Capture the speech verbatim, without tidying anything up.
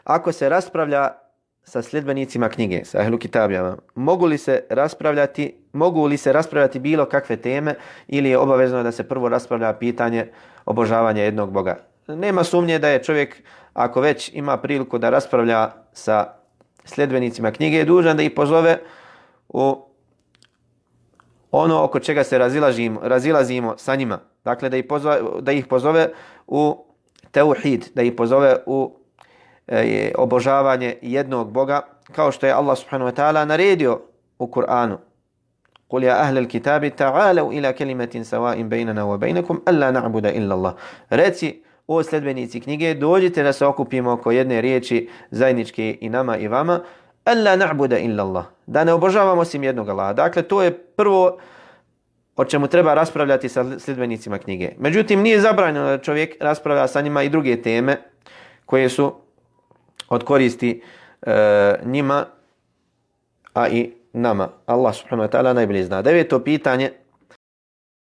ako se raspravlja sa sljedbenicima knjige, sa ehlu kitabijama, mogu li se raspravljati, mogu li se raspravljati bilo kakve teme ili je obavezno da se prvo raspravlja pitanje obožavanja jednog Boga? Nema sumnje da je čovjek, ako već ima priliku da raspravlja sa sljedbenicima knjige, je dužan da ih pozove u ono oko čega se razilazimo, razilazimo sa njima. Dakle, da ih pozove, da ih pozove u tauhid, da ih pozove u e, obožavanje jednog Boga, kao što je Allah subhanahu wa ta'ala naredio u Kur'anu. قُلْ يَا أَهْلَ الْكِتَابِ تَعَالَوْا إِلَى كَلِمَةٍ سَوَاءٍ بَيْنَنَا وَبَيْنَكُمْ أَلَّا نَعْبُدَ إِلَّا اللَّهِ. Reci, o sljedbenici knjige, dođite da se okupimo oko jedne riječi zajedničke i nama i vama, أَلَّا نَعْبُدَ إِلَّا اللَّهِ, da ne obožavamo osim jednog Allaha. Dakle, to je prvo o čemu treba raspravljati sa sljedbenicima knjige. Međutim, nije zabranjeno da čovjek raspravlja sa njima i druge teme koje su od koristi e, njima, a i nama. Allah subhanahu wa ta'ala najbolje zna. Deveto pitanje.